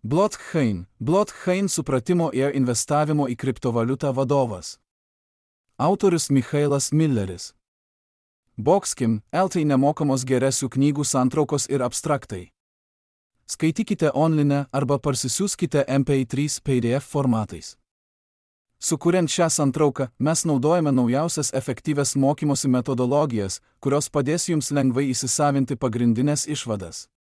Blockchain supratimo ir investavimo į kriptovaliutą vadovas. Autorius Michailas Milleris. Boxkim, LT nemokamos geresių knygų santraukos ir abstraktai. Skaitykite online arba parsisiųskite MP3 PDF formatais. Sukuriant šią santrauką, mes naudojame naujausias efektyvias mokymosi metodologijas, kurios padės jums lengvai įsisavinti pagrindinės išvadas.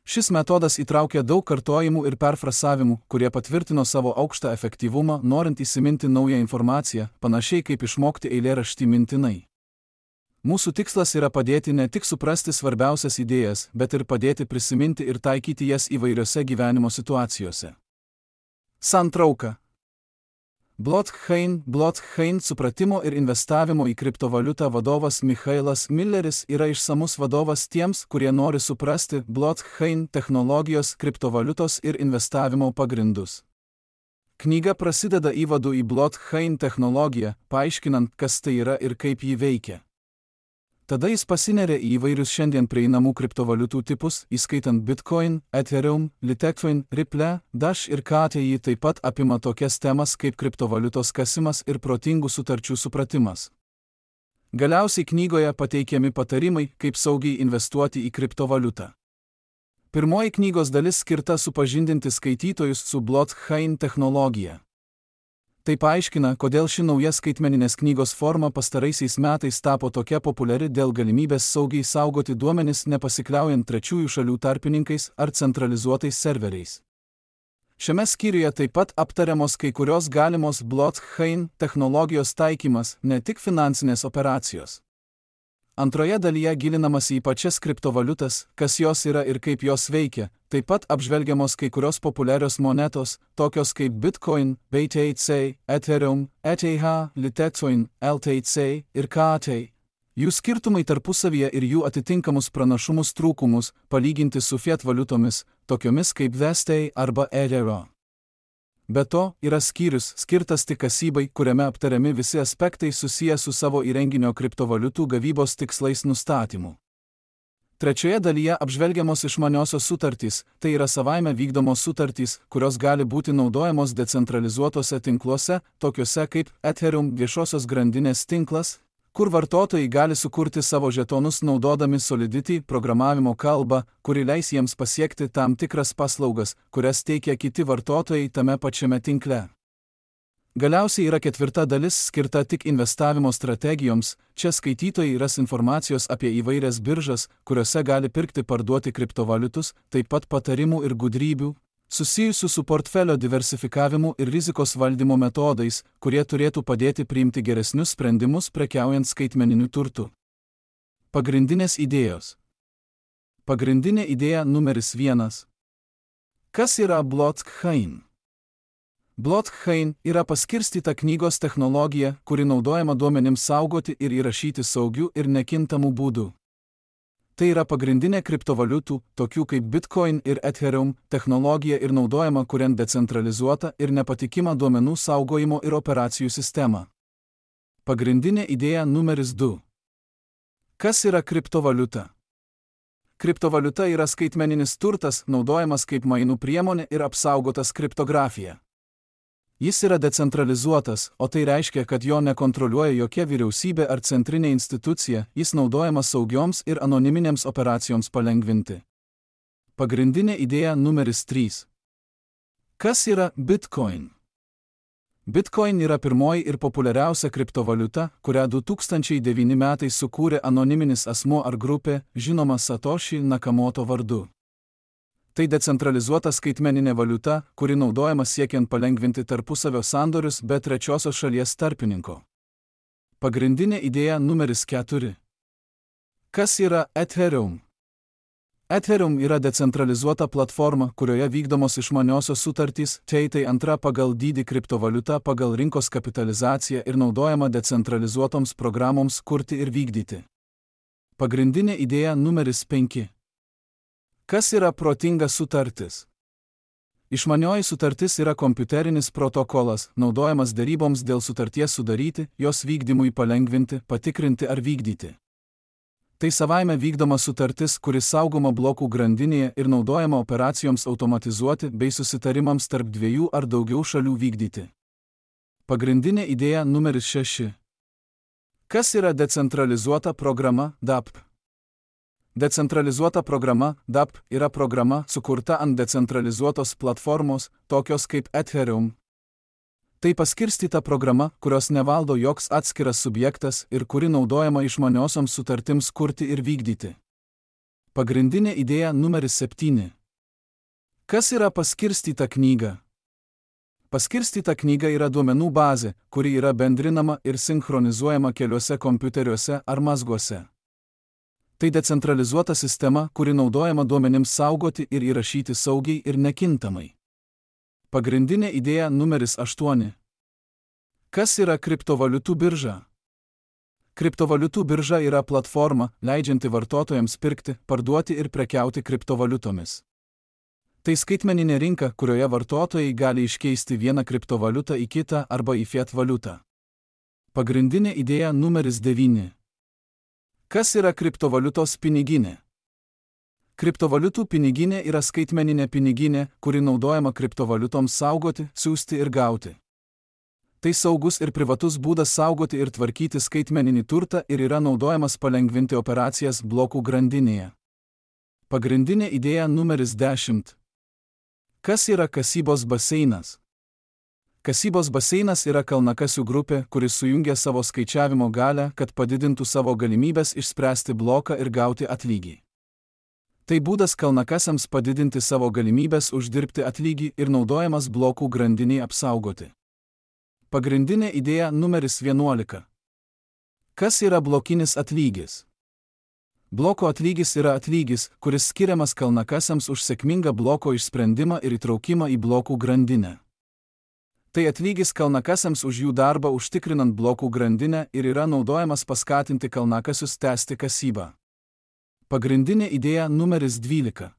Šis metodas įtraukia daug kartojimų ir perfrasavimų, kurie patvirtino savo aukštą efektyvumą, norint įsiminti naują informaciją, panašiai kaip išmokti eilėraštį mintinai. Mūsų tikslas yra padėti ne tik suprasti svarbiausias idėjas, bet ir padėti prisiminti ir taikyti jas įvairiose gyvenimo situacijose. Santrauka. Blockchain supratimo ir investavimo į kriptovaliutą vadovas Michailas Milleris yra išsamus vadovas tiems, kurie nori suprasti blockchain technologijos, kriptovaliutos ir investavimo pagrindus. Knyga prasideda įvadu į blockchain technologiją, paaiškinant, kas tai yra ir kaip ji veikia. Tada jis pasineria į įvairius šiandien prieinamų kriptovaliutų tipus, įskaitant Bitcoin, Ethereum, Litecoin, Ripple, Dash ir KTI, taip pat apima tokias temas kaip kriptovaliutos kasimas ir protingų sutarčių supratimas. Galiausiai knygoje pateikiami patarimai, kaip saugiai investuoti į kriptovaliutą. Pirmoji knygos dalis skirta supažindinti skaitytojus su blockchain technologija. Tai paaiškina, kodėl ši nauja skaitmeninės knygos forma pastaraisiais metais tapo tokia populiari dėl galimybės saugiai saugoti duomenis nepasikliaujant trečiųjų šalių tarpininkais ar centralizuotais serveriais. Šiame skyriuje taip pat aptariamos kai kurios galimos blockchain technologijos taikymas, ne tik finansinės operacijos. Antroje dalyje gilinamasi į pačias kriptovaliutas, kas jos yra ir kaip jos veikia, taip pat apžvelgiamos kai kurios populiarios monetos, tokios kaip Bitcoin, BTC, Ethereum, ETH, Litecoin, LTC ir KT. Jų skirtumai tarpusavyje ir jų atitinkamus pranašumus trūkumus palyginti su fiat valiutomis, tokiomis kaip USD arba EUR. Be to, yra skyrius, skirtas tik kasybai, kuriame aptariami visi aspektai susiję su savo įrenginio kriptovaliutų gavybos tikslais nustatymu. Trečioje dalyje apžvelgiamos išmaniosios sutartys, tai yra savaime vykdomos sutartys, kurios gali būti naudojamos decentralizuotose tinkluose, tokiuose kaip Ethereum viešosios grandinės tinklas, kur vartotojai gali sukurti savo žetonus naudodami Solidity programavimo kalbą, kuri leis jiems pasiekti tam tikras paslaugas, kurias teikia kiti vartotojai tame pačiame tinkle. Galiausiai yra ketvirta dalis skirta tik investavimo strategijoms, čia skaitytojai ras informacijos apie įvairias biržas, kuriuose gali pirkti parduoti kriptovaliutus, taip pat patarimų ir gudrybių, susijusių su portfelio diversifikavimu ir rizikos valdymo metodais, kurie turėtų padėti priimti geresnius sprendimus prekiaujant skaitmeniniu turtu. Pagrindinės idėjos. Pagrindinė idėja numeris 1. Kas yra blockchain? Blockchain yra paskirstyta knygos technologija, kuri naudojama duomenims saugoti ir įrašyti saugiu ir nekintamu būdu. Tai yra pagrindinė kriptovaliutų, tokių kaip Bitcoin ir Ethereum, technologija ir naudojama kuriant decentralizuotą ir nepatikimą duomenų saugojimo ir operacijų sistemą. Pagrindinė idėja numeris 2. Kas yra kriptovaliuta? Kriptovaliuta yra skaitmeninis turtas, naudojamas kaip mainų priemonė ir apsaugotas kriptografija. Jis yra decentralizuotas, o tai reiškia, kad jo nekontroliuoja jokia vyriausybė ar centrinė institucija, jis naudojamas saugioms ir anoniminėms operacijoms palengvinti. Pagrindinė idėja numeris 3. Kas yra Bitcoin? Bitcoin yra pirmoji ir populiariausia kriptovaliuta, kurią 2009 metais sukūrė anoniminis asmuo ar grupė, žinoma Satoshi Nakamoto vardu. Tai decentralizuota skaitmeninė valiuta, kuri naudojama siekiant palengvinti tarpusavio sandorius be trečiosios šalies tarpininko. Pagrindinė idėja numeris 4. Kas yra Ethereum? Ethereum yra decentralizuota platforma, kurioje vykdomos išmaniosios sutartys, tai antra pagal dydį kriptovaliuta pagal rinkos kapitalizaciją ir naudojama decentralizuotoms programoms kurti ir vykdyti. Pagrindinė idėja numeris 5. Kas yra protinga sutartis? Išmanioji sutartis yra kompiuterinis protokolas, naudojamas deryboms dėl sutarties sudaryti, jos vykdymui palengvinti, patikrinti ar vykdyti. Tai savaime vykdoma sutartis, kuri saugoma blokų grandinėje ir naudojama operacijoms automatizuoti bei susitarimams tarp dviejų ar daugiau šalių vykdyti. Pagrindinė idėja numeris 6. Kas yra decentralizuota programa DApp? Decentralizuota programa DApp yra programa sukurta ant decentralizuotos platformos, tokios kaip Ethereum. Tai paskirstyta programa, kurios nevaldo joks atskiras subjektas ir kuri naudojama išmaniosioms sutartims kurti ir vykdyti. Pagrindinė idėja numeris 7. Kas yra paskirstyta knyga? Paskirstyta knyga yra duomenų bazė, kuri yra bendrinama ir sinchronizuojama keliuose kompiuteriuose ar mazguose. Tai decentralizuota sistema, kuri naudojama duomenims saugoti ir įrašyti saugiai ir nekintamai. Pagrindinė idėja numeris 8. Kas yra kriptovaliutų birža? Kriptovaliutų birža yra platforma, leidžianti vartotojams pirkti, parduoti ir prekiauti kriptovaliutomis. Tai skaitmeninė rinka, kurioje vartotojai gali iškeisti vieną kriptovaliutą į kitą arba į fiat valiutą. Pagrindinė idėja numeris 9. Kas yra kriptovaliutos piniginė? Kriptovaliutų piniginė yra skaitmeninė piniginė, kuri naudojama kriptovaliutoms saugoti, siųsti ir gauti. Tai saugus ir privatus būdas saugoti ir tvarkyti skaitmeninį turtą ir yra naudojamas palengvinti operacijas blokų grandinėje. Pagrindinė idėja numeris 10. Kas yra kasybos baseinas? Kasybos baseinas yra kalnakasių grupė, kuris sujungia savo skaičiavimo galią, kad padidintų savo galimybės išspręsti bloką ir gauti atlygį. Tai būdas kalnakasiams padidinti savo galimybės uždirbti atlygį ir naudojamas blokų grandiniai apsaugoti. Pagrindinė idėja numeris 11. Kas yra blokinis atlygis? Bloko atlygis yra atlygis, kuris skiriamas kalnakasiams už sėkmingą bloko išsprendimą ir įtraukimą į blokų grandinę. Tai atlygis kalnakasiams už jų darbą užtikrinant blokų grandinę ir yra naudojamas paskatinti kalnakasius tęsti kasybą. Pagrindinė idėja numeris 12.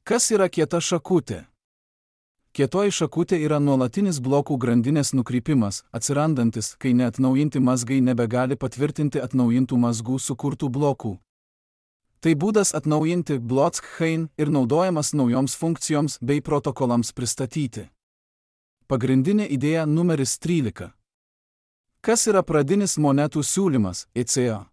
Kas yra kieta šakutė? Kietoji šakutė yra nuolatinis blokų grandinės nukrypimas, atsirandantis, kai neatnaujinti mazgai nebegali patvirtinti atnaujintų mazgų sukurtų blokų. Tai būdas atnaujinti blockchain ir naudojamas naujoms funkcijoms bei protokolams pristatyti. Pagrindinė idėja numeris 13. Kas yra pradinis monetų siūlymas, ECA?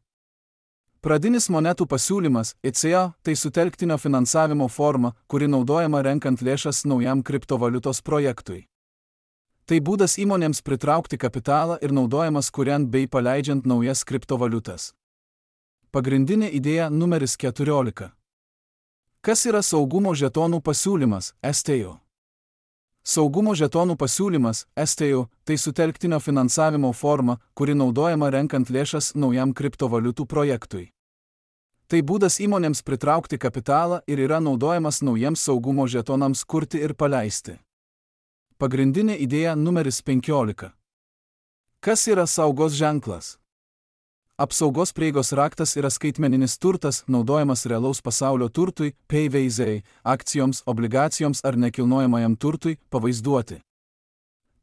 Pradinis monetų pasiūlymas, ECA, tai sutelktinio finansavimo forma, kuri naudojama renkant lėšas naujam kriptovaliutos projektui. Tai būdas įmonėms pritraukti kapitalą ir naudojamas kuriant bei paleidžiant naujas kriptovaliutas. Pagrindinė idėja numeris 14. Kas yra saugumo žetonų pasiūlymas, STO? Saugumo žetonų pasiūlymas, STO, tai sutelktinio finansavimo forma, kuri naudojama renkant lėšas naujam kriptovaliutų projektui. Tai būdas įmonėms pritraukti kapitalą ir yra naudojamas naujiems saugumo žetonams kurti ir paleisti. Pagrindinė idėja numeris 15. Kas yra saugos ženklas? Apsaugos prieigos raktas yra skaitmeninis turtas, naudojamas realaus pasaulio turtui, PVZ, akcijoms, obligacijoms ar nekilnojamajam turtui pavaizduoti.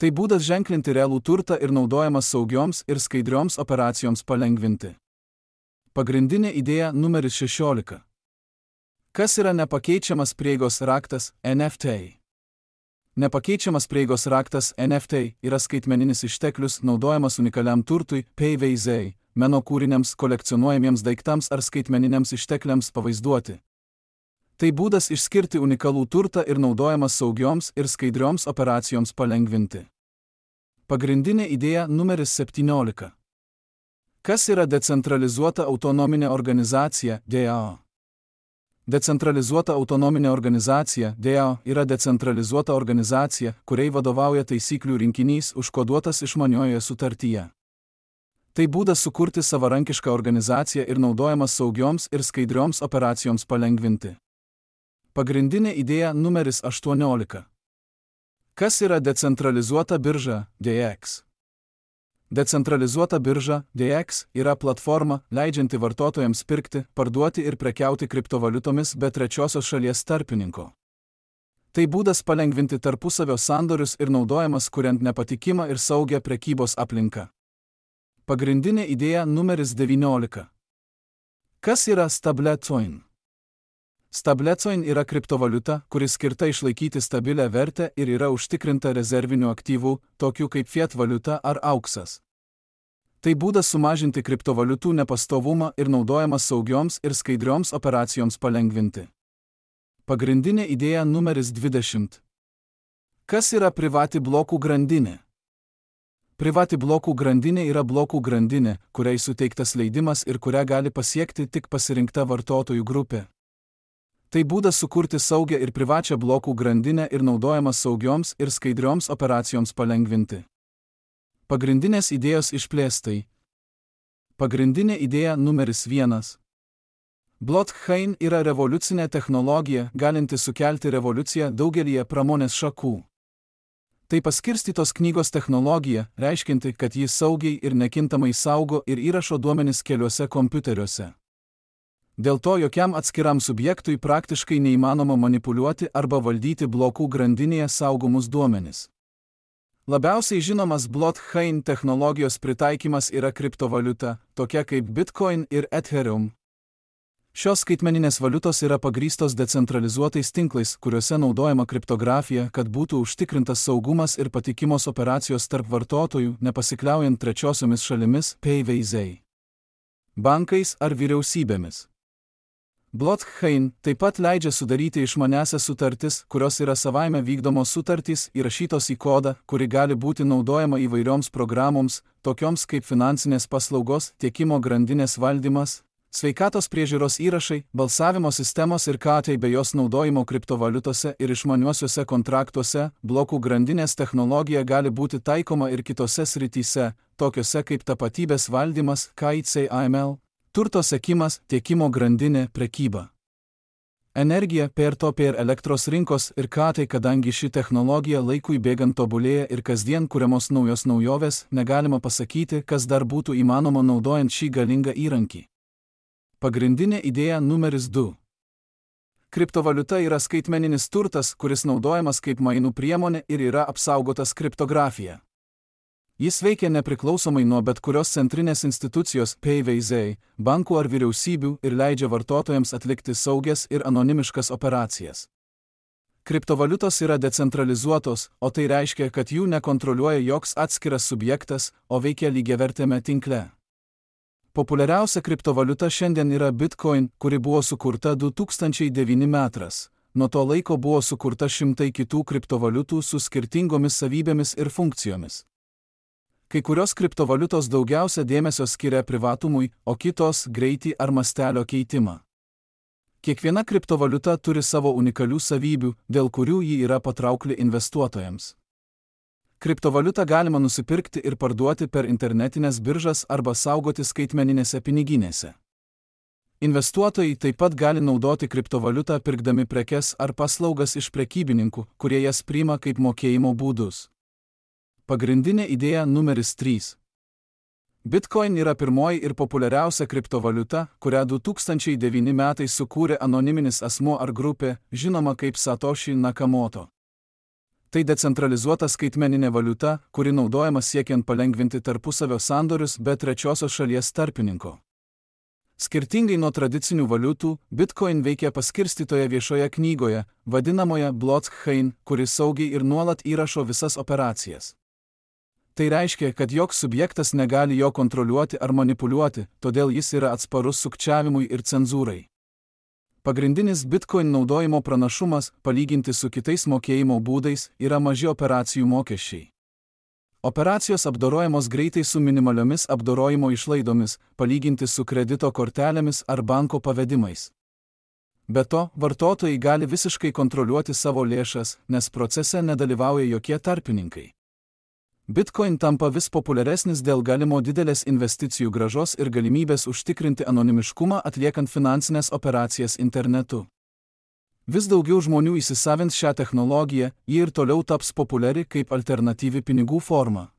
Tai būdas ženklinti realų turtą ir naudojamas saugioms ir skaidrioms operacijoms palengvinti. Pagrindinė idėja numeris 16. Kas yra nepakeičiamas prieigos raktas, NFT? Nepakeičiamas prieigos raktas, NFT, yra skaitmeninis išteklius naudojamas unikaliam turtui, PVZ, meno kūriniams, kolekcionuojamiems daiktams ar skaitmeniniams ištekliams pavaizduoti. Tai būdas išskirti unikalų turtą ir naudojamas saugioms ir skaidrioms operacijoms palengvinti. Pagrindinė idėja numeris 17. Kas yra decentralizuota autonominė organizacija, DAO? Decentralizuota autonominė organizacija, DAO, yra decentralizuota organizacija, kuriai vadovauja taisyklių rinkinys užkoduotas išmaniojoje sutartyje. Tai būdas sukurti savarankišką organizaciją ir naudojamas saugioms ir skaidrioms operacijoms palengvinti. Pagrindinė idėja numeris 18. Kas yra decentralizuota birža, DEX? Decentralizuota birža, DEX, yra platforma, leidžianti vartotojams pirkti, parduoti ir prekiauti kriptovaliutomis be trečiosios šalies tarpininko. Tai būdas palengvinti tarpusavio sandorius ir naudojamas kuriant nepatikimą ir saugią prekybos aplinką. Pagrindinė idėja numeris 19. Kas yra stablecoin? Stablecoin yra kriptovaliuta, kuri skirta išlaikyti stabilę vertę ir yra užtikrinta rezervinių aktyvų, tokių kaip fiat valiuta ar auksas. Tai būdas sumažinti kriptovaliutų nepastovumą ir naudojamas saugioms ir skaidrioms operacijoms palengvinti. Pagrindinė idėja numeris 20. Kas yra privati blokų grandinė? Privati blokų grandinė yra blokų grandinė, kuriai suteiktas leidimas ir kurią gali pasiekti tik pasirinkta vartotojų grupė. Tai būdas sukurti saugią ir privačią blokų grandinę ir naudojamas saugioms ir skaidrioms operacijoms palengvinti. Pagrindinės idėjos išplėstai. Pagrindinė idėja numeris 1. Blockchain yra revoliucinė technologija, galinti sukelti revoliuciją daugelyje pramonės šakų. Tai paskirstytos knygos technologija, reiškinti, kad ji saugiai ir nekintamai saugo ir įrašo duomenis keliuose kompiuteriuose. Dėl to jokiam atskiram subjektui praktiškai neįmanoma manipuliuoti arba valdyti blokų grandinėje saugomus duomenis. Labiausiai žinomas blockchain technologijos pritaikymas yra kriptovaliuta, tokia kaip Bitcoin ir Ethereum. Šios skaitmeninės valiutos yra pagrįstos decentralizuotais tinklais, kuriuose naudojama kriptografija, kad būtų užtikrintas saugumas ir patikimos operacijos tarp vartotojų, nepasikliaujant trečiosiomis šalimis, PVZ, bankais ar vyriausybėmis. Blockchain taip pat leidžia sudaryti išmaniąsias sutartis, kurios yra savaime vykdomos sutartys, įrašytos į kodą, kuri gali būti naudojama įvairioms programoms, tokioms kaip finansinės paslaugos, tiekimo grandinės valdymas, sveikatos priežiūros įrašai, balsavimo sistemos ir KT bei jos naudojimo kriptovaliutose ir išmaniuosiuose kontraktuose. Blokų grandinės technologija gali būti taikoma ir kitose srityse, tokiose kaip tapatybės valdymas, KIC-AML, turto sekimas, tiekimo grandinė, prekyba. Energija, peer-to-peer elektros rinkos ir KT. Kadangi ši technologija laikui bėgant tobulėja ir kasdien kuriamos naujos naujovės, negalima pasakyti, kas dar būtų įmanoma naudojant šį galingą įrankį. Pagrindinė idėja numeris 2. Kriptovaliuta yra skaitmeninis turtas, kuris naudojamas kaip mainų priemonė ir yra apsaugotas kriptografija. Jis veikia nepriklausomai nuo bet kurios centrinės institucijos, PVZ, bankų ar vyriausybių ir leidžia vartotojams atlikti saugias ir anonimiškas operacijas. Kriptovaliutos yra decentralizuotos, o tai reiškia, kad jų nekontroliuoja joks atskiras subjektas, o veikia lygiavertėme tinkle. Populiariausia kriptovaliuta šiandien yra Bitcoin, kuri buvo sukurta 2009 metais. Nuo to laiko buvo sukurta šimtai kitų kriptovaliutų su skirtingomis savybėmis ir funkcijomis. Kai kurios kriptovaliutos daugiausia dėmesio skiria privatumui, o kitos greitį ar mastelio keitimą. Kiekviena kriptovaliuta turi savo unikalių savybių, dėl kurių ji yra patraukli investuotojams. Kriptovaliutą galima nusipirkti ir parduoti per internetinės biržas arba saugoti skaitmeninėse piniginėse. Investuotojai taip pat gali naudoti kriptovaliutą pirkdami prekes ar paslaugas iš prekybininkų, kurie jas priima kaip mokėjimo būdus. Pagrindinė idėja numeris 3. Bitcoin yra pirmoji ir populiariausia kriptovaliuta, kurią 2009 metais sukūrė anoniminis asmuo ar grupė, žinoma kaip Satoshi Nakamoto. Tai decentralizuota skaitmeninė valiuta, kuri naudojama siekiant palengvinti tarpusavio sandorius be trečiosios šalies tarpininko. Skirtingai nuo tradicinių valiutų, Bitcoin veikia paskirstytoje viešoje knygoje, vadinamoje blockchain, kuri saugiai ir nuolat įrašo visas operacijas. Tai reiškia, kad joks subjektas negali jo kontroliuoti ar manipuliuoti, todėl jis yra atsparus sukčiavimui ir cenzūrai. Pagrindinis Bitcoin naudojimo pranašumas, palyginti su kitais mokėjimo būdais, yra maži operacijų mokesčiai. Operacijos apdorojamos greitai su minimaliomis apdorojimo išlaidomis, palyginti su kredito kortelėmis ar banko pavedimais. Be to, vartotojai gali visiškai kontroliuoti savo lėšas, nes procese nedalyvauja jokie tarpininkai. Bitcoin tampa vis populiaresnis dėl galimo didelės investicijų grąžos ir galimybės užtikrinti anonimiškumą atliekant finansinės operacijas internetu. Vis daugiau žmonių įsisavins šią technologiją, ji ir toliau taps populiari kaip alternatyvi pinigų forma.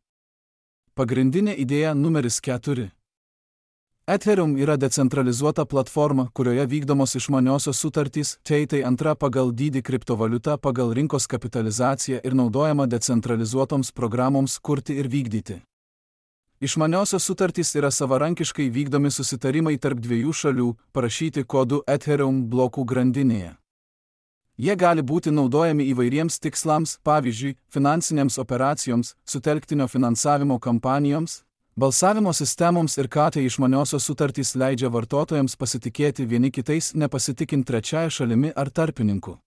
Pagrindinė idėja numeris 4. Ethereum yra decentralizuota platforma, kurioje vykdomos išmaniosios sutartys, tai antra pagal dydį kriptovaliuta pagal rinkos kapitalizaciją ir naudojama decentralizuotoms programoms kurti ir vykdyti. Išmaniosios sutartys yra savarankiškai vykdomi susitarimai tarp dviejų šalių, parašyti kodu Ethereum blokų grandinėje. Jie gali būti naudojami įvairiems tikslams, pavyzdžiui, finansinėms operacijoms, sutelktinio finansavimo kampanijoms, balsavimo sistemoms ir tai išmaniosios sutartys leidžia vartotojams pasitikėti vieni kitais, nepasitikint trečiąją šalimi ar tarpininku.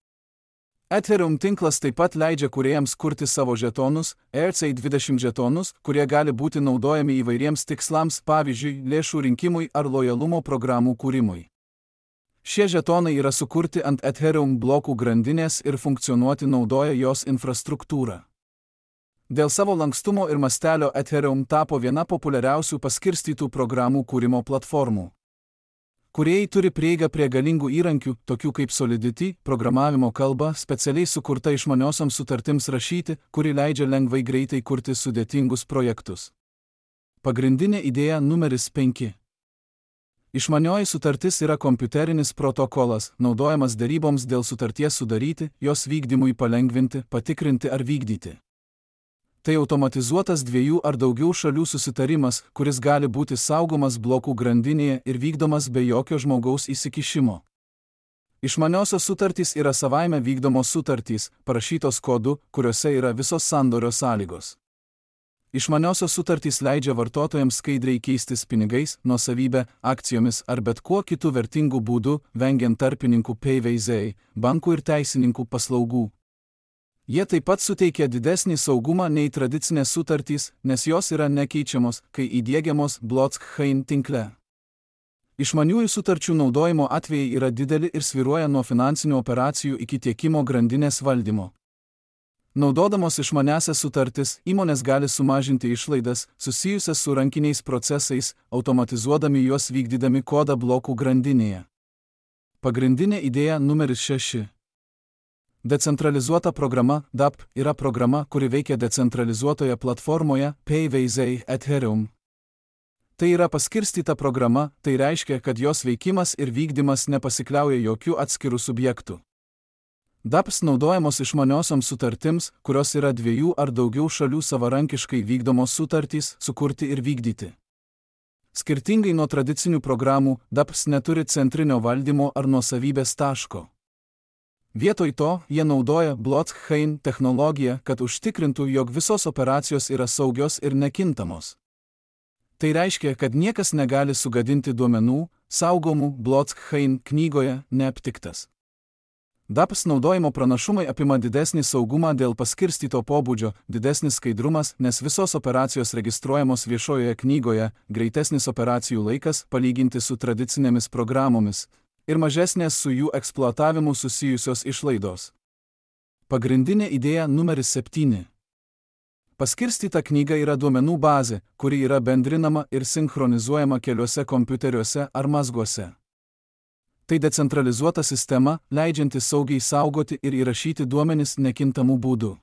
Ethereum tinklas taip pat leidžia kūrėjams kurti savo žetonus, ERC20 žetonus, kurie gali būti naudojami įvairiems tikslams, pavyzdžiui, lėšų rinkimui ar lojalumo programų kūrimui. Šie žetonai yra sukurti ant Ethereum blokų grandinės ir funkcionuoti naudoja jos infrastruktūrą. Dėl savo lankstumo ir mastelio Ethereum tapo viena populiariausių paskirstytų programų kūrimo platformų. Kūrėjai turi prieigą prie galingų įrankių, tokių kaip Solidity, programavimo kalba, specialiai sukurta išmaniosioms sutartims rašyti, kuri leidžia lengvai greitai kurti sudėtingus projektus. Pagrindinė idėja numeris 5. Išmanioji sutartis yra kompiuterinis protokolas, naudojamas deryboms dėl sutarties sudaryti, jos vykdymui palengvinti, patikrinti ar vykdyti. Tai automatizuotas dviejų ar daugiau šalių susitarimas, kuris gali būti saugomas blokų grandinėje ir vykdomas be jokio žmogaus įsikišimo. Išmaniosios sutartys yra savaime vykdomos sutartys, parašytos kodu, kuriuose yra visos sandorio sąlygos. Išmaniosios sutartys leidžia vartotojams skaidriai keistis pinigais, nuosavybę, akcijomis ar bet kuo kitu vertingu būdu, vengiant tarpininkų PVZ, bankų ir teisininkų paslaugų. Jie taip pat suteikia didesnį saugumą nei tradicinės sutartys, nes jos yra nekeičiamos, kai įdiegiamos blockchain tinkle. Išmaniųjų sutarčių naudojimo atvejai yra dideli ir svyruoja nuo finansinių operacijų iki tiekimo grandinės valdymo. Naudodamos išmaniąsias sutartis, įmonės gali sumažinti išlaidas, susijusias su rankiniais procesais, automatizuodami juos vykdydami kodą blokų grandinėje. Pagrindinė idėja numeris 6. Decentralizuota programa DApp yra programa, kuri veikia decentralizuotoje platformoje PVZ Ethereum. Tai yra paskirstyta programa, tai reiškia, kad jos veikimas ir vykdymas nepasikliauja jokių atskirų subjektų. DApps naudojamos išmaniosioms sutartims, kurios yra dviejų ar daugiau šalių savarankiškai vykdomos sutartys, sukurti ir vykdyti. Skirtingai nuo tradicinių programų, DApps neturi centrinio valdymo ar nuosavybės taško. Vietoj to, jie naudoja blockchain technologiją, kad užtikrintų, jog visos operacijos yra saugios ir nekintamos. Tai reiškia, kad niekas negali sugadinti duomenų, saugomų blockchain knygoje neaptiktas. DApps naudojimo pranašumai apima didesnį saugumą dėl paskirstyto pobūdžio, didesnis skaidrumas, nes visos operacijos registruojamos viešojoje knygoje, greitesnis operacijų laikas palyginti su tradicinėmis programomis ir mažesnės su jų eksploatavimu susijusios išlaidos. Pagrindinė idėja numeris 7. Paskirstyta knyga yra duomenų bazė, kuri yra bendrinama ir sinchronizuojama keliuose kompiuteriuose ar mazguose. Tai decentralizuota sistema, leidžianti saugiai saugoti ir įrašyti duomenis nekintamų būdų.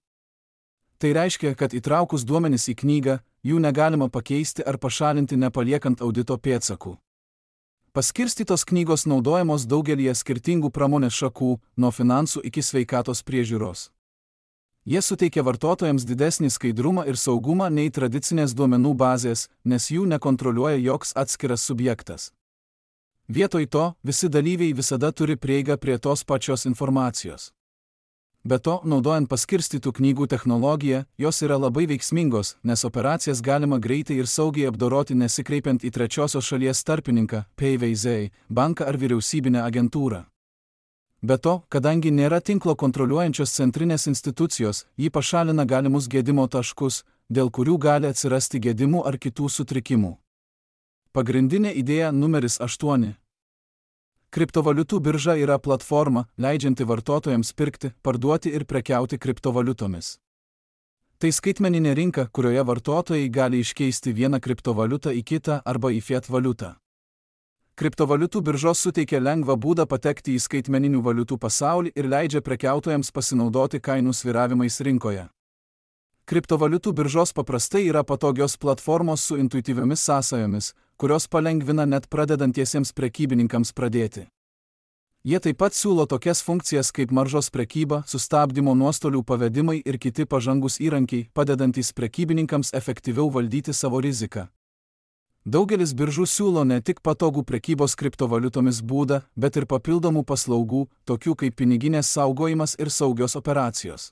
Tai reiškia, kad įtraukus duomenis į knygą, jų negalima pakeisti ar pašalinti nepaliekant audito pėdsakų. Paskirstytos knygos naudojamos daugelyje skirtingų pramonės šakų, nuo finansų iki sveikatos priežiūros. Jie suteikia vartotojams didesnį skaidrumą ir saugumą nei tradicinės duomenų bazės, nes jų nekontroliuoja joks atskiras subjektas. Vietoj to, visi dalyviai visada turi prieigą prie tos pačios informacijos. Be to, naudojant paskirstytų knygų technologiją, jos yra labai veiksmingos, nes operacijas galima greitai ir saugiai apdoroti nesikreipiant į trečiosios šalies tarpininką, PVZ, banką ar vyriausybinę agentūrą. Be to, kadangi nėra tinklo kontroliuojančios centrinės institucijos, ji pašalina galimus gedimo taškus, dėl kurių gali atsirasti gedimų ar kitų sutrikimų. Pagrindinė idėja numeris 8. Kriptovaliutų birža yra platforma, leidžianti vartotojams pirkti, parduoti ir prekiauti kriptovaliutomis. Tai skaitmeninė rinka, kurioje vartotojai gali iškeisti vieną kriptovaliutą į kitą arba į fiat valiutą. Kriptovaliutų biržos suteikia lengvą būdą patekti į skaitmeninių valiutų pasaulį ir leidžia prekiautojams pasinaudoti kainų svyravimais rinkoje. Kriptovaliutų biržos paprastai yra patogios platformos su intuityviomis sąsajomis, kurios palengvina net pradedantiesiems prekybininkams pradėti. Jie taip pat siūlo tokias funkcijas kaip maržos prekyba, sustabdymo nuostolių pavedimai ir kiti pažangus įrankiai, padedantys prekybininkams efektyviau valdyti savo riziką. Daugelis biržų siūlo ne tik patogų prekybos kriptovaliutomis būdą, bet ir papildomų paslaugų, tokių kaip piniginės saugojimas ir saugios operacijos.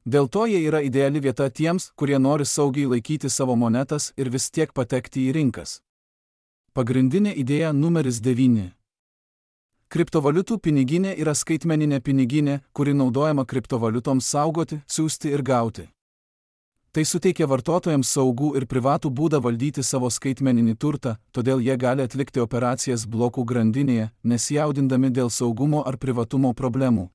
Dėl to jie yra ideali vieta tiems, kurie nori saugiai laikyti savo monetas ir vis tiek patekti į rinkas. Pagrindinė idėja numeris 9. Kriptovaliutų piniginė yra skaitmeninė piniginė, kuri naudojama kriptovaliutoms saugoti, siųsti ir gauti. Tai suteikia vartotojams saugų ir privatų būdą valdyti savo skaitmeninį turtą, todėl jie gali atlikti operacijas blokų grandinėje, nesijaudindami dėl saugumo ar privatumo problemų.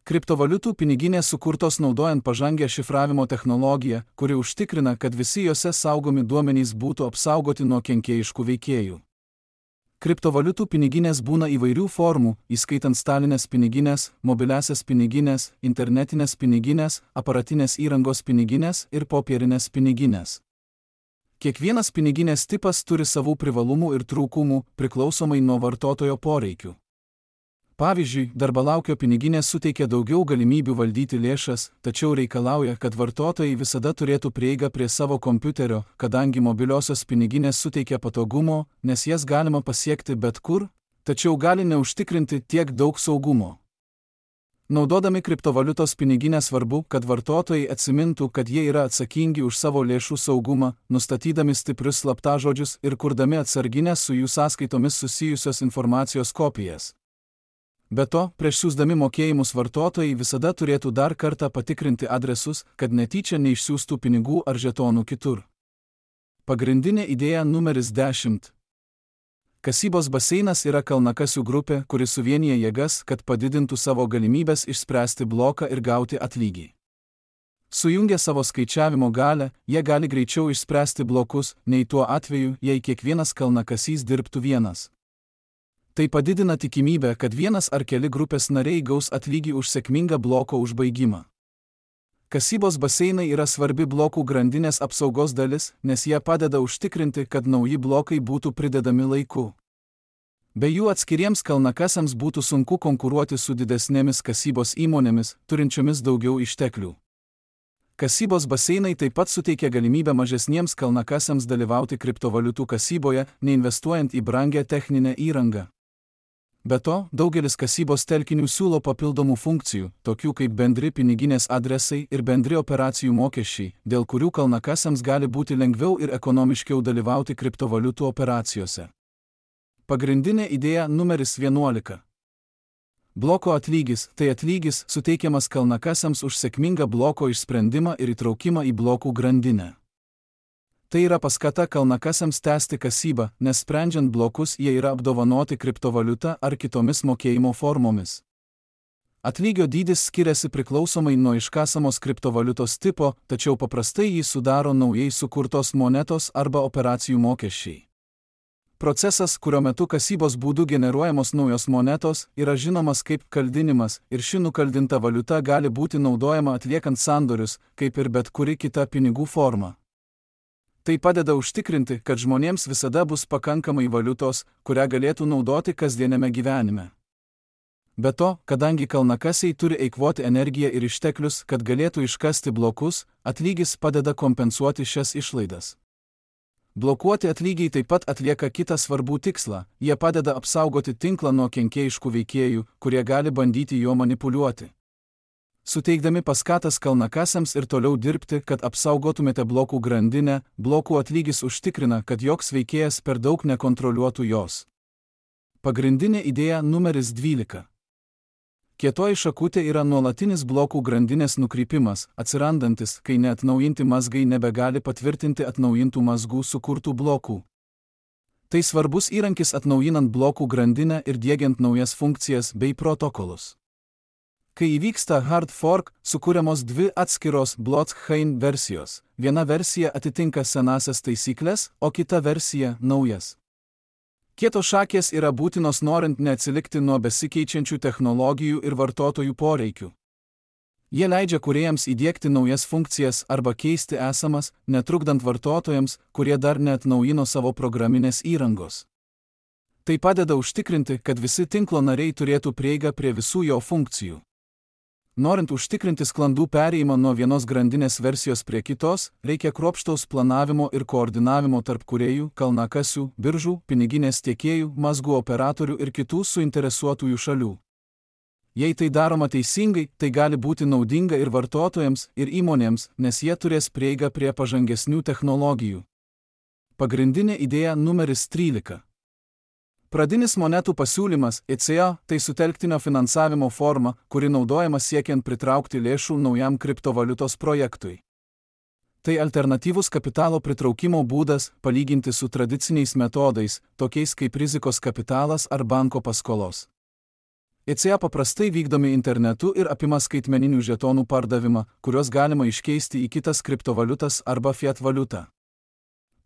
Kriptovaliutų piniginės sukurtos naudojant pažangią šifravimo technologiją, kuri užtikrina, kad visi jose saugomi duomenys būtų apsaugoti nuo kenkėjiškų veikėjų. Kriptovaliutų piniginės būna įvairių formų, įskaitant stalinės piniginės, mobiliasias piniginės, internetinės piniginės, aparatinės įrangos piniginės ir popierinės piniginės. Kiekvienas piniginės tipas turi savų privalumų ir trūkumų, priklausomai nuo vartotojo poreikių. Pavyzdžiui, darbalaukio piniginės suteikia daugiau galimybių valdyti lėšas, tačiau reikalauja, kad vartotojai visada turėtų prieigą prie savo kompiuterio, kadangi mobiliosios piniginės suteikia patogumo, nes jas galima pasiekti bet kur, tačiau gali neužtikrinti tiek daug saugumo. Naudodami kriptovaliutos piniginę svarbu, kad vartotojai atsimintų, kad jie yra atsakingi už savo lėšų saugumą, nustatydami stiprius slaptažodžius ir kurdami atsarginės su jų sąskaitomis susijusios informacijos kopijas. Be to, prieš siųsdami mokėjimus vartotojai visada turėtų dar kartą patikrinti adresus, kad netyčia neišsiųstų pinigų ar žetonų kitur. Pagrindinė idėja numeris 10. Kasybos baseinas yra kalnakasių grupė, kuri suvienyje jėgas, kad padidintų savo galimybės išspręsti bloką ir gauti atlygį. Sujungę savo skaičiavimo galią, jie gali greičiau išspręsti blokus, nei tuo atveju, jei kiekvienas kalnakasys dirbtų vienas. Tai padidina tikimybę, kad vienas ar keli grupės nariai gaus atlygį už sėkmingą bloko užbaigimą. Kasybos baseinai yra svarbi blokų grandinės apsaugos dalis, nes jie padeda užtikrinti, kad nauji blokai būtų pridedami laiku. Be jų atskiriems kalnakasiams būtų sunku konkuruoti su didesnėmis kasybos įmonėmis, turinčiomis daugiau išteklių. Kasybos baseinai taip pat suteikia galimybę mažesniems kalnakasiams dalyvauti kriptovaliutų kasyboje, neinvestuojant į brangią techninę įrangą. Be to, daugelis kasybos telkinių siūlo papildomų funkcijų, tokių kaip bendri piniginės adresai ir bendri operacijų mokesčiai, dėl kurių kalnakasiams gali būti lengviau ir ekonomiškiau dalyvauti kriptovaliutų operacijose. Pagrindinė idėja numeris 11. Bloko atlygis – tai atlygis suteikiamas kalnakasiams už sėkmingą bloko išsprendimą ir įtraukimą į blokų grandinę. Tai yra paskata kalnakasiams tęsti kasybą, nes sprendžiant blokus jie yra apdovanoti kriptovaliuta ar kitomis mokėjimo formomis. Atlygio dydis skiriasi priklausomai nuo iškasamos kriptovaliutos tipo, tačiau paprastai jį sudaro naujai sukurtos monetos arba operacijų mokesčiai. Procesas, kurio metu kasybos būdu generuojamos naujos monetos, yra žinomas kaip kaldinimas ir ši nukaldinta valiuta gali būti naudojama atliekant sandorius, kaip ir bet kuri kita pinigų forma. Tai padeda užtikrinti, kad žmonėms visada bus pakankamai valiutos, kurią galėtų naudoti kasdieniame gyvenime. Be to, kadangi kalnakasiai turi eikvoti energiją ir išteklius, kad galėtų iškasti blokus, atlygis padeda kompensuoti šias išlaidas. Blokuoti atlygiai taip pat atlieka kitą svarbų tikslą, jie padeda apsaugoti tinklą nuo kenkėjiškų veikėjų, kurie gali bandyti juo manipuliuoti. Suteikdami paskatas kalnakasiams ir toliau dirbti, kad apsaugotumėte blokų grandinę, blokų atlygis užtikrina, kad joks veikėjas per daug nekontroliuotų jos. Pagrindinė idėja numeris 12. Kietoji šakutė yra nuolatinis blokų grandinės nukrypimas, atsirandantis, kai neatnaujinti mazgai nebegali patvirtinti atnaujintų mazgų sukurtų blokų. Tai svarbus įrankis atnaujinant blokų grandinę ir diegiant naujas funkcijas bei protokolus. Kai įvyksta hard fork, sukūriamos dvi atskiros blockchain versijos. Viena versija atitinka senasias taisyklės, o kita versija naujas. Kietos šakės yra būtinos norint neatsilikti nuo besikeičiančių technologijų ir vartotojų poreikių. Jie leidžia kūrėjams įdiegti naujas funkcijas arba keisti esamas, netrukdant vartotojams, kurie dar neatnaujino savo programinės įrangos. Tai padeda užtikrinti, kad visi tinklo nariai turėtų prieigą prie visų jo funkcijų. Norint užtikrinti sklandų perėjimą nuo vienos grandinės versijos prie kitos, reikia kruopštaus planavimo ir koordinavimo tarp kūrėjų, kalnakasių, biržų, piniginės tiekėjų, mazgų operatorių ir kitų suinteresuotųjų šalių. Jei tai daroma teisingai, tai gali būti naudinga ir vartotojams, ir įmonėms, nes jie turės prieigą prie pažangesnių technologijų. Pagrindinė idėja numeris 13. Pradinis monetų pasiūlymas ECA tai sutelktinio finansavimo forma, kuri naudojama siekiant pritraukti lėšų naujam kriptovaliutos projektui. Tai alternatyvus kapitalo pritraukimo būdas palyginti su tradiciniais metodais, tokiais kaip rizikos kapitalas ar banko paskolos. ECA paprastai vykdomi internetu ir apima skaitmeninių žetonų pardavimą, kuriuos galima iškeisti į kitas kriptovaliutas arba fiat valiutą.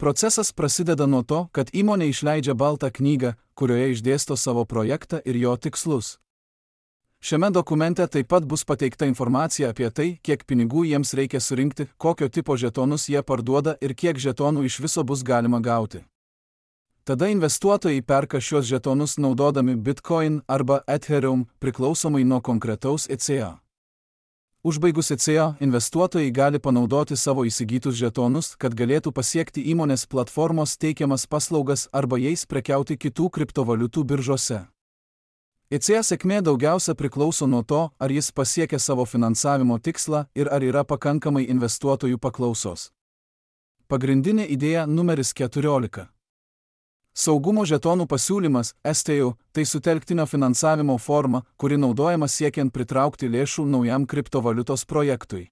Procesas prasideda nuo to, kad įmonė išleidžia baltą knygą, kurioje išdėsto savo projektą ir jo tikslus. Šiame dokumente taip pat bus pateikta informacija apie tai, kiek pinigų jiems reikia surinkti, kokio tipo žetonus jie parduoda ir kiek žetonų iš viso bus galima gauti. Tada investuotojai perka šios žetonus naudodami Bitcoin arba Ethereum priklausomai nuo konkretaus ECA. Užbaigus ECA, investuotojai gali panaudoti savo įsigytus žetonus, kad galėtų pasiekti įmonės platformos teikiamas paslaugas arba jais prekiauti kitų kriptovaliutų biržose. ECA sėkmė daugiausia priklauso nuo to, ar jis pasiekia savo finansavimo tikslą ir ar yra pakankamai investuotojų paklausos. Pagrindinė idėja numeris 14. Saugumo žetonų pasiūlymas, STO, tai sutelktinio finansavimo forma, kuri naudojama siekiant pritraukti lėšų naujam kriptovaliutos projektui.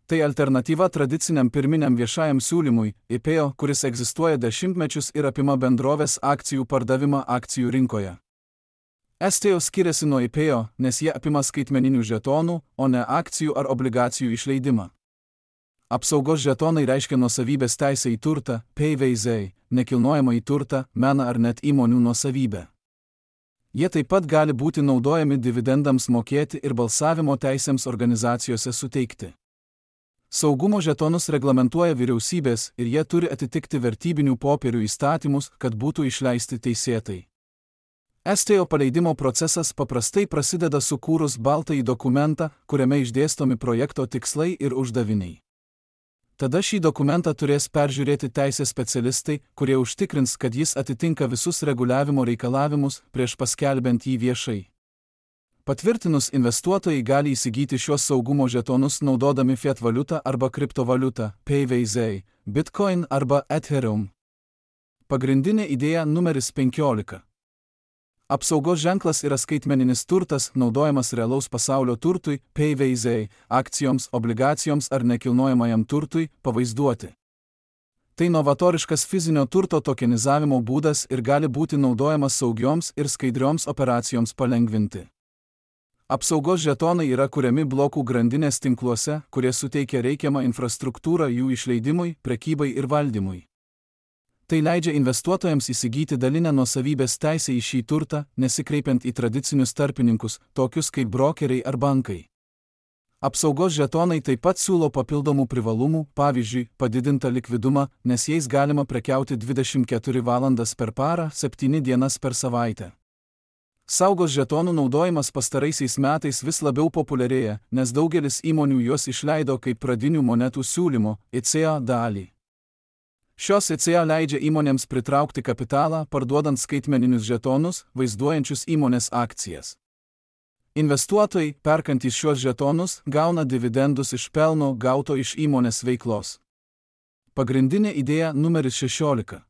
Tai alternatyva tradiciniam pirminiam viešajam siūlymui, IPO, kuris egzistuoja dešimtmečius ir apima bendrovės akcijų pardavimą akcijų rinkoje. STO skiriasi nuo IPO, nes jie apima skaitmeninių žetonų, o ne akcijų ar obligacijų išleidimą. Apsaugos žetonai reiškia nuosavybės teisę į turtą, PVZ, nekilnojamą į turtą, meną ar net įmonių nuosavybę. Jie taip pat gali būti naudojami dividendams mokėti ir balsavimo teisėms organizacijose suteikti. Saugumo žetonus reglamentuoja vyriausybės ir jie turi atitikti vertybinių popierių įstatymus, kad būtų išleisti teisėtai. STO paleidimo procesas paprastai prasideda sukūrus baltąjį dokumentą, kuriame išdėstomi projekto tikslai ir uždaviniai. Tada šį dokumentą turės peržiūrėti teisės specialistai, kurie užtikrins, kad jis atitinka visus reguliavimo reikalavimus prieš paskelbiant jį viešai. Patvirtinus, investuotojai gali įsigyti šios saugumo žetonus naudodami fiat valiutą arba kriptovaliutą, PVZ, Bitcoin arba Ethereum. Pagrindinė idėja numeris 15. Apsaugos ženklas yra skaitmeninis turtas, naudojamas realaus pasaulio turtui, PVZ, akcijoms, obligacijoms ar nekilnojamajam turtui pavaizduoti. Tai novatoriškas fizinio turto tokenizavimo būdas ir gali būti naudojamas saugioms ir skaidrioms operacijoms palengvinti. Apsaugos žetonai yra kuriami blokų grandinės tinkluose, kurie suteikia reikiamą infrastruktūrą jų išleidimui, prekybai ir valdymui. Tai leidžia investuotojams įsigyti dalinę nuosavybės teisę į šį turtą, nesikreipiant į tradicinius tarpininkus, tokius kaip brokeriai ar bankai. Apsaugos žetonai taip pat siūlo papildomų privalumų, pavyzdžiui, padidintą likvidumą, nes jais galima prekiauti 24 valandas per parą, 7 dienas per savaitę. Saugos žetonų naudojimas pastaraisiais metais vis labiau populiarėja, nes daugelis įmonių juos išleido kaip pradinių monetų siūlymo, ECA dalį. Šios ECA leidžia įmonėms pritraukti kapitalą, parduodant skaitmeninius žetonus, vaizduojančius įmonės akcijas. Investuotojai, perkantys šios žetonus, gauna dividendus iš pelno gauto iš įmonės veiklos. Pagrindinė idėja numeris 16.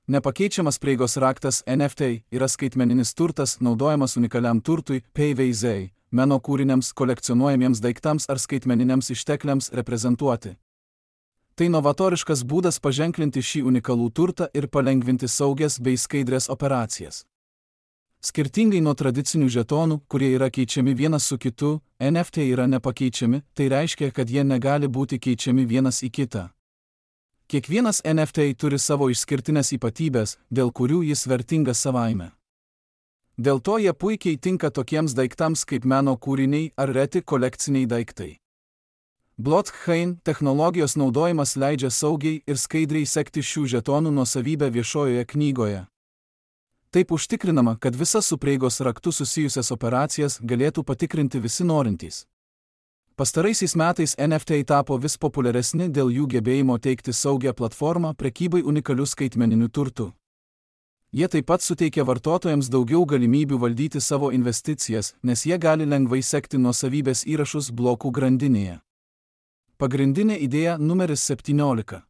Nepakeičiamas prieigos raktas NFT yra skaitmeninis turtas naudojamas unikaliam turtui, PVZ, meno kūriniams, kolekcionuojamiems daiktams ar skaitmeniniams ištekliams reprezentuoti. Tai novatoriškas būdas paženklinti šį unikalų turtą ir palengvinti saugias bei skaidrias operacijas. Skirtingai nuo tradicinių žetonų, kurie yra keičiami vienas su kitu, NFT yra nepakeičiami, tai reiškia, kad jie negali būti keičiami vienas į kitą. Kiekvienas NFT turi savo išskirtinės ypatybės, dėl kurių jis vertingas savaime. Dėl to jie puikiai tinka tokiems daiktams kaip meno kūriniai ar reti kolekciniai daiktai. Blockchain technologijos naudojimas leidžia saugiai ir skaidriai sekti šių žetonų nuosavybę viešojoje knygoje. Taip užtikrinama, kad visas su prieigos raktu susijusias operacijas galėtų patikrinti visi norintys. Pastaraisiais metais NFT tapo vis populiaresni dėl jų gebėjimo teikti saugią platformą prekybai unikaliu skaitmeniniu turtu. Jie taip pat suteikia vartotojams daugiau galimybių valdyti savo investicijas, nes jie gali lengvai sekti nuosavybės įrašus blokų grandinėje. Pagrindinė idėja numeris 17.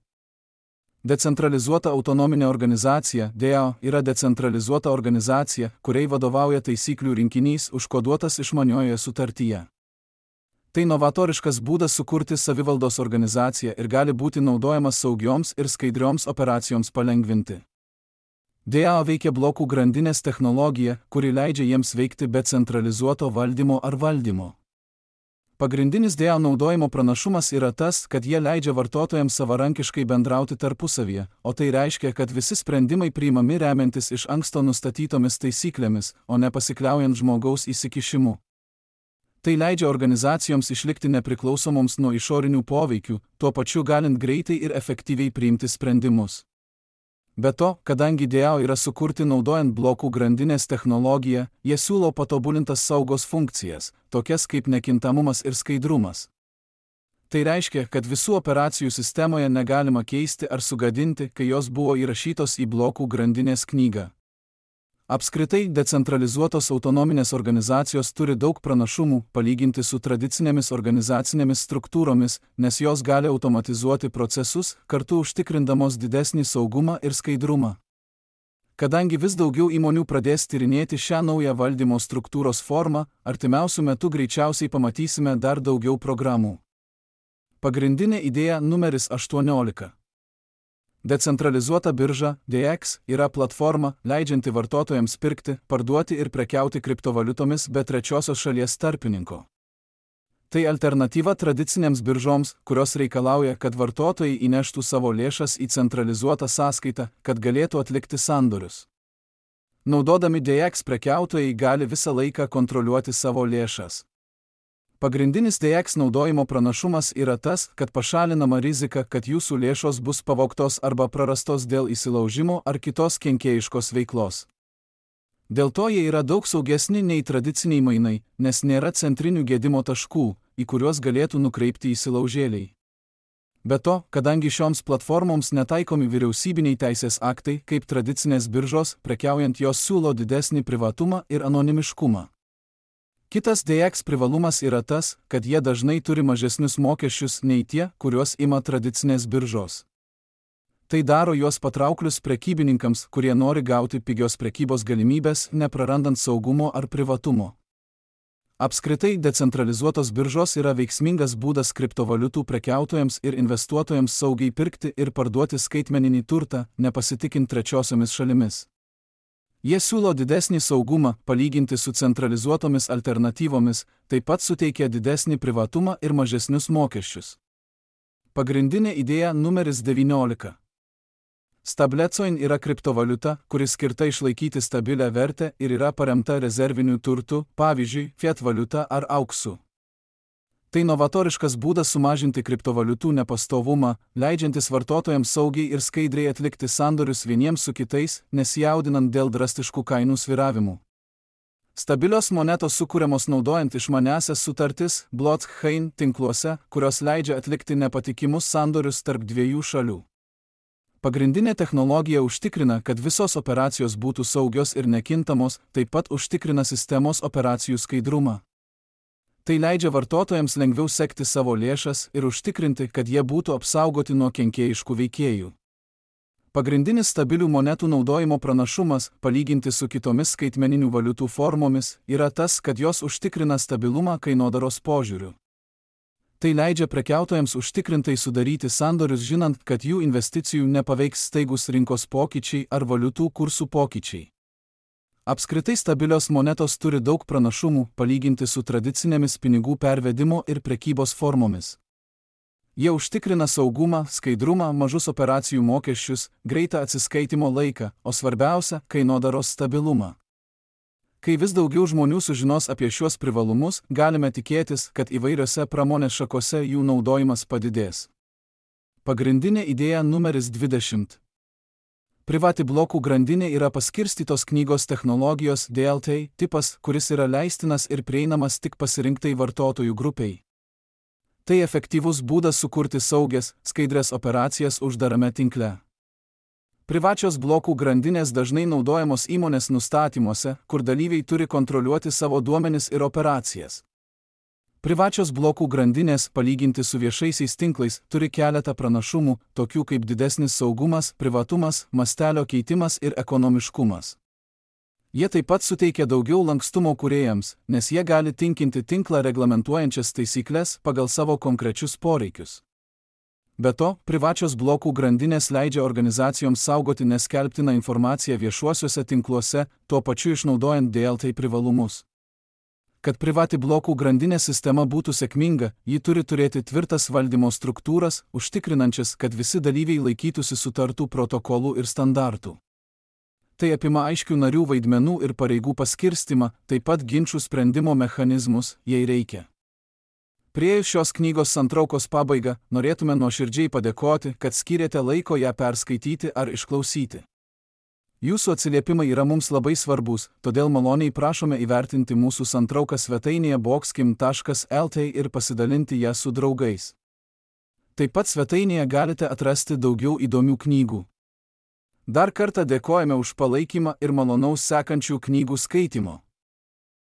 Decentralizuota autonominė organizacija DAO yra decentralizuota organizacija, kuriai vadovauja taisyklių rinkinys užkoduotas išmaniojoje sutartyje. Tai novatoriškas būdas sukurti savivaldos organizaciją ir gali būti naudojamas saugioms ir skaidrioms operacijoms palengvinti. DAO veikia blokų grandinės technologija, kuri leidžia jiems veikti be centralizuoto valdymo ar valdymo. Pagrindinis DAO naudojimo pranašumas yra tas, kad jie leidžia vartotojams savarankiškai bendrauti tarpusavyje, o tai reiškia, kad visi sprendimai priimami remiantis iš anksto nustatytomis taisyklėmis, o ne pasikliaujant žmogaus įsikišimu. Tai leidžia organizacijoms išlikti nepriklausomoms nuo išorinių poveikių, tuo pačiu galint greitai ir efektyviai priimti sprendimus. Be to, kadangi DAO yra sukurti naudojant blokų grandinės technologiją, jie siūlo patobulintas saugos funkcijas, tokias kaip nekintamumas ir skaidrumas. Tai reiškia, kad visų operacijų sistemoje negalima keisti ar sugadinti, kai jos buvo įrašytos į blokų grandinės knygą. Apskritai, decentralizuotos autonominės organizacijos turi daug pranašumų palyginti su tradicinėmis organizacinėmis struktūromis, nes jos gali automatizuoti procesus, kartu užtikrindamos didesnį saugumą ir skaidrumą. Kadangi vis daugiau įmonių pradės tyrinėti šią naują valdymo struktūros formą, artimiausiu metu greičiausiai pamatysime dar daugiau programų. Pagrindinė idėja numeris 18. Decentralizuota birža DEX yra platforma, leidžianti vartotojams pirkti, parduoti ir prekiauti kriptovaliutomis be trečiosios šalies tarpininko. Tai alternatyva tradicinėms biržoms, kurios reikalauja, kad vartotojai įneštų savo lėšas į centralizuotą sąskaitą, kad galėtų atlikti sandorius. Naudodami DEX prekiautojai gali visą laiką kontroliuoti savo lėšas. Pagrindinis DEX naudojimo pranašumas yra tas, kad pašalinama rizika, kad jūsų lėšos bus pavogtos arba prarastos dėl įsilaužimo ar kitos kenkėjiškos veiklos. Dėl to jie yra daug saugesni nei tradiciniai mainai, nes nėra centrinių gedimo taškų, į kuriuos galėtų nukreipti įsilaužėliai. Be to, kadangi šioms platformoms netaikomi vyriausybiniai teisės aktai, kaip tradicinės biržos, prekiaujant jos siūlo didesnį privatumą ir anonimiškumą. Kitas DEX privalumas yra tas, kad jie dažnai turi mažesnius mokesčius nei tie, kuriuos ima tradicinės biržos. Tai daro juos patrauklius prekybininkams, kurie nori gauti pigios prekybos galimybės, neprarandant saugumo ar privatumo. Apskritai, decentralizuotos biržos yra veiksmingas būdas kriptovaliutų prekiautojams ir investuotojams saugiai pirkti ir parduoti skaitmeninį turtą, nepasitikint trečiosiomis šalimis. Jie siūlo didesnį saugumą, palyginti su centralizuotomis alternatyvomis, taip pat suteikia didesnį privatumą ir mažesnius mokesčius. Pagrindinė idėja numeris 19. Stablecoin yra kriptovaliuta, kuri skirta išlaikyti stabilę vertę ir yra paremta rezerviniu turtu, pavyzdžiui, fiat valiuta ar auksu. Tai novatoriškas būdas sumažinti kriptovaliutų nepastovumą, leidžiantis vartotojams saugiai ir skaidriai atlikti sandorius vieniems su kitais, nesijaudinant dėl drastiškų kainų svyravimų. Stabilios monetos sukūriamos naudojant išmaniąsias sutartis blockchain tinkluose, kurios leidžia atlikti nepatikimus sandorius tarp dviejų šalių. Pagrindinė technologija užtikrina, kad visos operacijos būtų saugios ir nekintamos, taip pat užtikrina sistemos operacijų skaidrumą. Tai leidžia vartotojams lengviau sekti savo lėšas ir užtikrinti, kad jie būtų apsaugoti nuo kenkėjiškų veikėjų. Pagrindinis stabilių monetų naudojimo pranašumas, palyginti su kitomis skaitmeninių valiutų formomis, yra tas, kad jos užtikrina stabilumą kainodaros požiūriu. Tai leidžia prekiautojams užtikrintai sudaryti sandorius, žinant, kad jų investicijų nepaveiks staigus rinkos pokyčiai ar valiutų kursų pokyčiai. Apskritai stabilios monetos turi daug pranašumų, palyginti su tradicinėmis pinigų pervedimo ir prekybos formomis. Jie užtikrina saugumą, skaidrumą, mažus operacijų mokesčius, greitą atsiskaitimo laiką, o svarbiausia – kainodaros stabilumą. Kai vis daugiau žmonių sužinos apie šiuos privalumus, galime tikėtis, kad įvairiose pramonės šakose jų naudojimas padidės. Pagrindinė idėja numeris 20. Privati blokų grandinė yra paskirstytos knygos technologijos DLT tipas, kuris yra leistinas ir prieinamas tik pasirinktai vartotojų grupiai. Tai efektyvus būdas sukurti saugias, skaidrias operacijas uždarame tinkle. Privačios blokų grandinės dažnai naudojamos įmonės nustatymuose, kur dalyviai turi kontroliuoti savo duomenis ir operacijas. Privačios blokų grandinės, palyginti su viešaisiais tinklais, turi keletą pranašumų, tokių kaip didesnis saugumas, privatumas, mastelio keitimas ir ekonomiškumas. Jie taip pat suteikia daugiau lankstumo kūrėjams, nes jie gali tinkinti tinklą reglamentuojančias taisyklės pagal savo konkrečius poreikius. Be to, privačios blokų grandinės leidžia organizacijoms saugoti neskelbtiną informaciją viešuosiuose tinkluose, tuo pačiu išnaudojant DLT privalumus. Kad privati blokų grandinės sistema būtų sėkminga, ji turi turėti tvirtas valdymo struktūras, užtikrinančias, kad visi dalyviai laikytųsi sutartų protokolų ir standartų. Tai apima aiškių narių vaidmenų ir pareigų paskirstimą, taip pat ginčų sprendimo mechanizmus, jei reikia. Priėjus šios knygos santraukos pabaigą, norėtume nuoširdžiai padėkoti, kad skyrėte laiko ją perskaityti ar išklausyti. Jūsų atsiliepimai yra mums labai svarbus, todėl maloniai prašome įvertinti mūsų santrauką svetainėje boxkim.lt ir pasidalinti ją su draugais. Taip pat svetainėje galite atrasti daugiau įdomių knygų. Dar kartą dėkojame už palaikymą ir malonaus sekančių knygų skaitimo.